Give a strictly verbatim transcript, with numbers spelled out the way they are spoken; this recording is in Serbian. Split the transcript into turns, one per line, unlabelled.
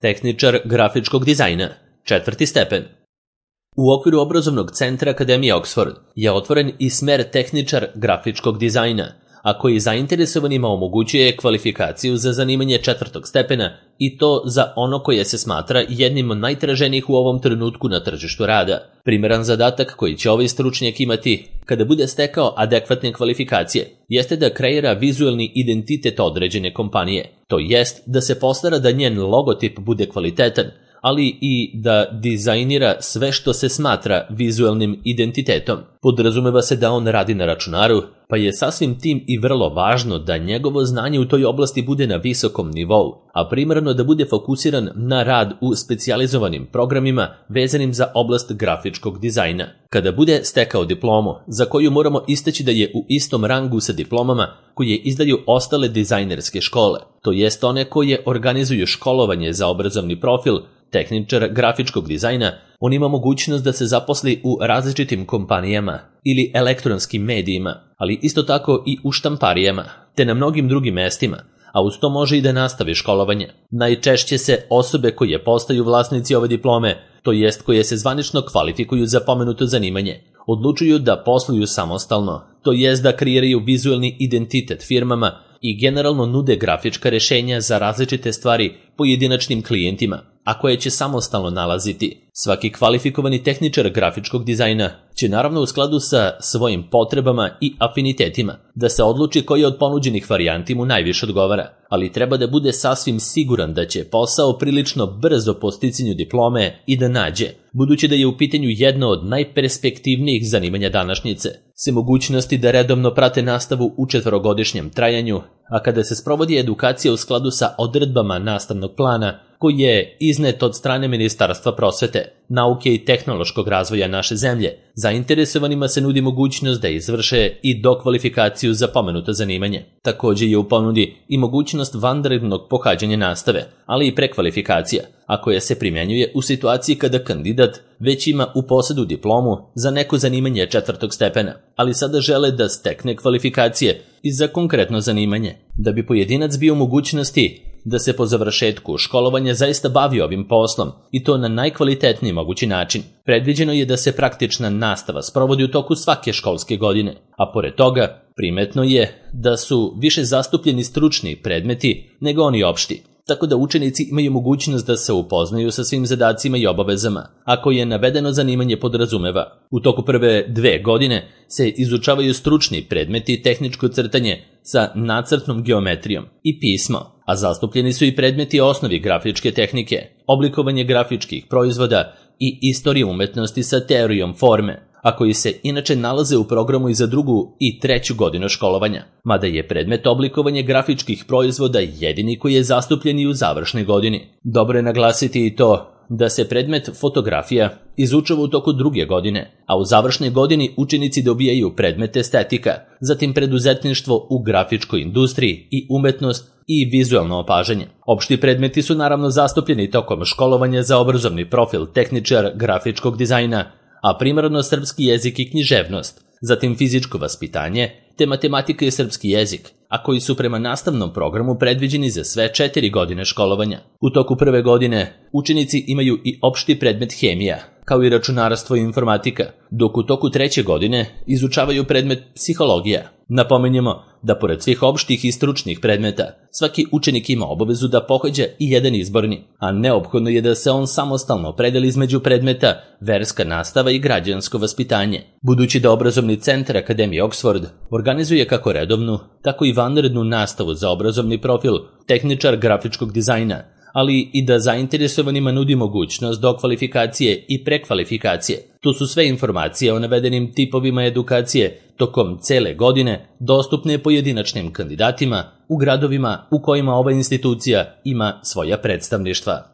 Tehničar grafičkog dizajna, četvrti stepen. U okviru obrazovnog centra Akademije Oxford je otvoren i smer tehničar grafičkog dizajna, a koji zainteresovanima omogućuje kvalifikaciju za zanimanje četvrtog stepena i to za ono koje se smatra jednim od najtraženijih u ovom trenutku na tržištu rada. Primeran zadatak koji će ovaj stručnjak imati kada bude stekao adekvatne kvalifikacije jeste da kreira vizuelni identitet određene kompanije, to jest da se postara da njen logotip bude kvalitetan, ali i da dizajnira sve što se smatra vizuelnim identitetom. Podrazumeva se da on radi na računaru, pa je sasvim tim i vrlo važno da njegovo znanje u toj oblasti bude na visokom nivou, a primarno da bude fokusiran na rad u specijalizovanim programima vezanim za oblast grafičkog dizajna. Kada bude stekao diplomu, za koju moramo istaći da je u istom rangu sa diplomama koje izdaju ostale dizajnerske škole, to jest one koje organizuju školovanje za obrazovni profil, tehničar grafičkog dizajna, on ima mogućnost da se zaposli u različitim kompanijama ili elektronskim medijima, ali isto tako i u štamparijama, te na mnogim drugim mestima, a uz to može i da nastavi školovanje. Najčešće se osobe koje postaju vlasnici ove diplome, to jest koje se zvanično kvalifikuju za pomenuto zanimanje, odlučuju da posluju samostalno, to jest da kreiraju vizuelni identitet firmama i generalno nude grafička rešenja za različite stvari pojedinačnim klijentima, a koje će samostalno nalaziti. Svaki kvalifikovani tehničar grafičkog dizajna će naravno u skladu sa svojim potrebama i afinitetima da se odluči koji od ponuđenih varijanti mu najviše odgovara, ali treba da bude sasvim siguran da će posao prilično brzo po sticanju diplome i da nađe, budući da je u pitanju jedno od najperspektivnijih zanimanja današnjice, se mogućnosti da redovno prate nastavu u četvorogodišnjem trajanju, a kada se sprovodi edukacija u skladu sa odredbama nastavnog plana koji je iznet od strane Ministarstva prosvete, nauke i tehnološkog razvoja naše zemlje, zainteresovanima se nudi mogućnost da izvrše i dokvalifikaciju za pomenuto zanimanje. Također je u ponudi i mogućnost vanrednog pohađanja nastave, ali i prekvalifikacija, a koja se primjenjuje u situaciji kada kandidat već ima u posedu diplomu za neko zanimanje četvrtog stepena, ali sada žele da stekne kvalifikacije i za konkretno zanimanje. Da bi pojedinac bio u mogućnosti da se po završetku školovanja zaista bavi ovim poslom i to na najkvalitetniji mogući način, predviđeno je da se praktična nastava sprovodi u toku svake školske godine, a pored toga primetno je da su više zastupljeni stručni predmeti nego oni opšti, tako da učenici imaju mogućnost da se upoznaju sa svim zadacima i obavezama, ako je navedeno zanimanje podrazumeva. U toku prve dve godine se izučavaju stručni predmeti tehničko crtanje sa nacrtnom geometrijom i pismo, a zastupljeni su i predmeti osnovi grafičke tehnike, oblikovanje grafičkih proizvoda i istorije umetnosti sa teorijom forme, a koji se inače nalaze u programu i za drugu i treću godinu školovanja, mada je predmet oblikovanje grafičkih proizvoda jedini koji je zastupljen i u završnoj godini. Dobro je naglasiti i to da se predmet fotografija izučava u toku druge godine, a u završnoj godini učenici dobijaju predmet estetika, zatim preduzetništvo u grafičkoj industriji i umetnost i vizuelno opažanje. Opšti predmeti su naravno zastupljeni tokom školovanja za obrazovni profil tehničar grafičkog dizajna, a primarno srpski jezik i književnost, zatim fizičko vaspitanje, te matematika i srpski jezik, a koji su prema nastavnom programu predviđeni za sve četiri godine školovanja. U toku prve godine učenici imaju i opšti predmet hemija, kao i računarstvo i informatika, dok u toku treće godine izučavaju predmet psihologija. Napomenjemo da pored svih opštih i stručnih predmeta, svaki učenik ima obavezu da pohađa i jedan izborni, a neophodno je da se on samostalno opredeli između predmeta verska nastava i građansko vaspitanje. Budući da obrazovni centar Akademije Oxford organizuje kako redovnu, tako i vanrednu nastavu za obrazovni profil tehničar grafičkog dizajna, ali i da zainteresovanima nudi mogućnost dokvalifikacije i prekvalifikacije. Tu su sve informacije o navedenim tipovima edukacije tokom cele godine dostupne pojedinačnim kandidatima u gradovima u kojima ova institucija ima svoja predstavništva.